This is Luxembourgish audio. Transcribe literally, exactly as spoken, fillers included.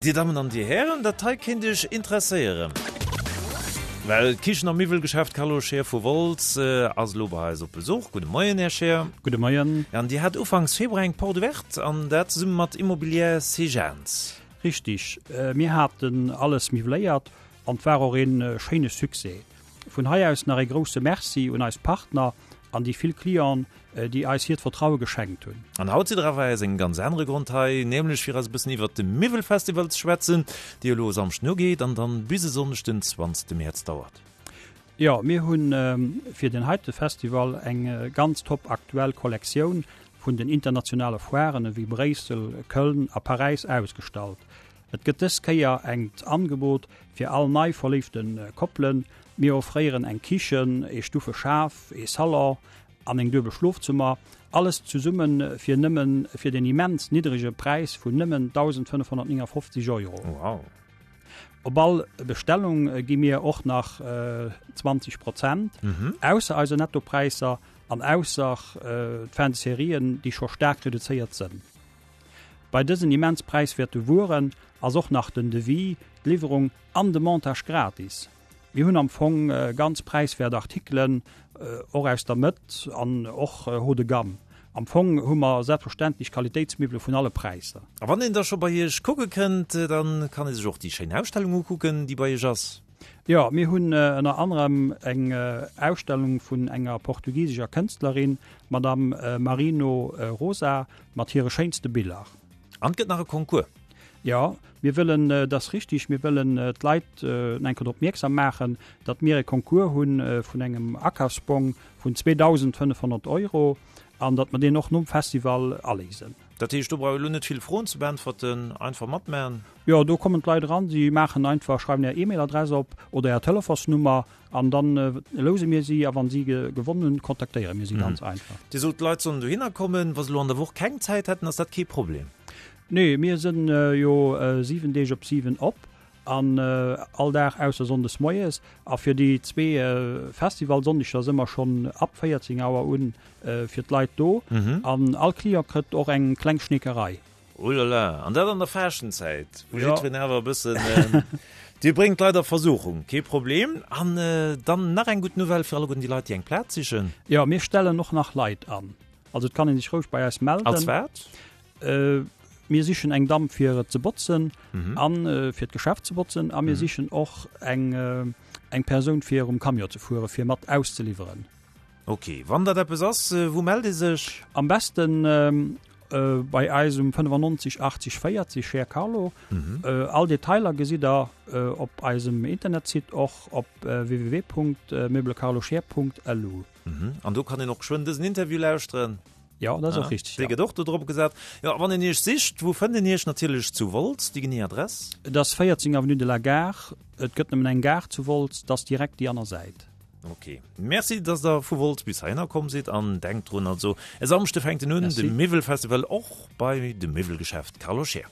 Dir Dammen an Dir Hären, dat hei kéint Iech interesséieren, well d'Kichen a Miwwelgeschäft Carlo Scheer vu Wolz ass elo bei eis op Besuch. Gudde Moien, Här Scheer. Gudde Moien. An Dir hat ufanks Februar eng Porte ouverte, an dat zesumme mat Immobilière Sejaans. Richtig, mir haten alles miwweléiert an 't war och een schéine Succès. Vun hei aus nach ee grousse Merci un eis Partner an déi vill Clienten, déi eis hiert Vertraue geschenkt hunn. An haut sidd der awer aus engem ganz anere Grond hei, nämlech fir eis e bëssen iwwert de Miwwelfestival ze schwätzen, dee jo elo e Samschden ugeet an dann bis e Sonndeg den zwanzegste Mäerz dauert. Jo, mir hu fir deen heite Festival eng ganz top aktuell Kollektioun vun den internationale Foiren ewéi Bréissel, Köln a Paräis ausgestallt. Et gëtt dës Kéier engt Angebot fir all nei verléifte Koppelen. Mir offréieren eng Kichen, ee Stufeschaf, ee Salon an eng duebel Schlofzëmmer, alles zesumme fir nëmmen fir den immens niddrege Präis vun nëmmen dausendfënnefhonnertnéngafofzeg Euro. Wow! Op all Bestellung gi mir och nach zwanzeg Prozent, ausser eise Nettopräisser an ausser d'Fin de Sérien, déi scho staark reduzéiert sënn. Bei dësen immens präiswäerte Wueren ass och nach den Devis, d'Liwwerung an de Montage gratis. Mir hunn am Fong ganz präiswäert Artikelen, och aus der Mëtt an och haut de gamme. Am Fong hu mer selbstverständlech Qualitéitsmiwwele vun alle Präisser. A wann een da scho bei Iech kucke kënnt, da kann ee sech och déi schéin Ausstellung ukucken, déi bei Iech ass. Jo, mir hunn ënner anerem eng Ausstellung vun enger portugisescher Kënstlerin, d'Madame Marino Rosa, mat hire schéinste Biller. An et gëtt nach e Concours. Jo, mir wëllen, dat ass richtig, mir wëllen d'Leit eng Kéier drop opmierksam maachen, datt mir e Concours hu vun engem Akafsbong vun zweedausendfënnefhonnert Euro an datt mer deen och nom Festival aléisen. Dat heescht, do brauch ee lo net vill Froen ze beäntwerten, einfach matmaachen? Jo, do kommen d'Leit eran, si maachen einfach, schreiwen är E-Mail-Adress op oder är Telefonsnummer an dann louse mir si a wann si gewonnen hunn, kontaktéiere mir si ganz einfach. Dir sot, d'Leit sollen dohinner kommen. Wa se lo an der Woch keng Zäit hätten, ass dat kee Problem? Nee, mir sënn jo siwen Deeg op siwen op an all Dag ausser Sonndes moies. A fir déi zwee Festivalsonndeger së mer schonn ab véierzéng Auer un fir d'Leit do. An all Client kritt och eng kleng Schneekerei. Oulala, an dat an der Faaschtenzäit, wou jiddwereen awer e bëssen, Dir bréngt d'Leit a Versuchung, kee Problem. An dann nach eng gutt Nouvelle fir alleguerten déi Leit, déi eng Plaz sichen. Jo, mir stellen och nach Leit an. Also et kann ee sech roueg bei eis melden. Als wat? Mir sichen eng Damm fir et ze botzen an fir d'Geschäft ze botzen a mir sichen och eng eng Persoun fir um Camion ze fuere fir mat auszeliwweren. Ok, wann dat eppes ass, wou mellt ee sech? Am besten bei eis um fënnefannonzeg achtzeg véierzeg, Cher Carlo. All Detailer gesitt der op eisem Internetsite och op www.meublecarloscheer.lu. An do kann een och geschwënn dësen Interview lauschteren. Jo, dat ass och richteg, jo. Dee gëtt och do drop gesat. Jo, a wann een Iech sicht, wou fënnt een Iech? Natierlech zu Wolz, déi genee Adress? Et ass véierzéng Avenue de la Gare. Et gëtt nëmmen eng Gare zu Wolz, dat ass direkt déi aner Säit. Ok. Merci, dass Der vu Wolz bis heihinner komm sidd. An denkt drun, also e Samschde fänkt en un, de Merci. Miwwelfestival, och bei dem Miwwelgeschäft Carlo Scheer.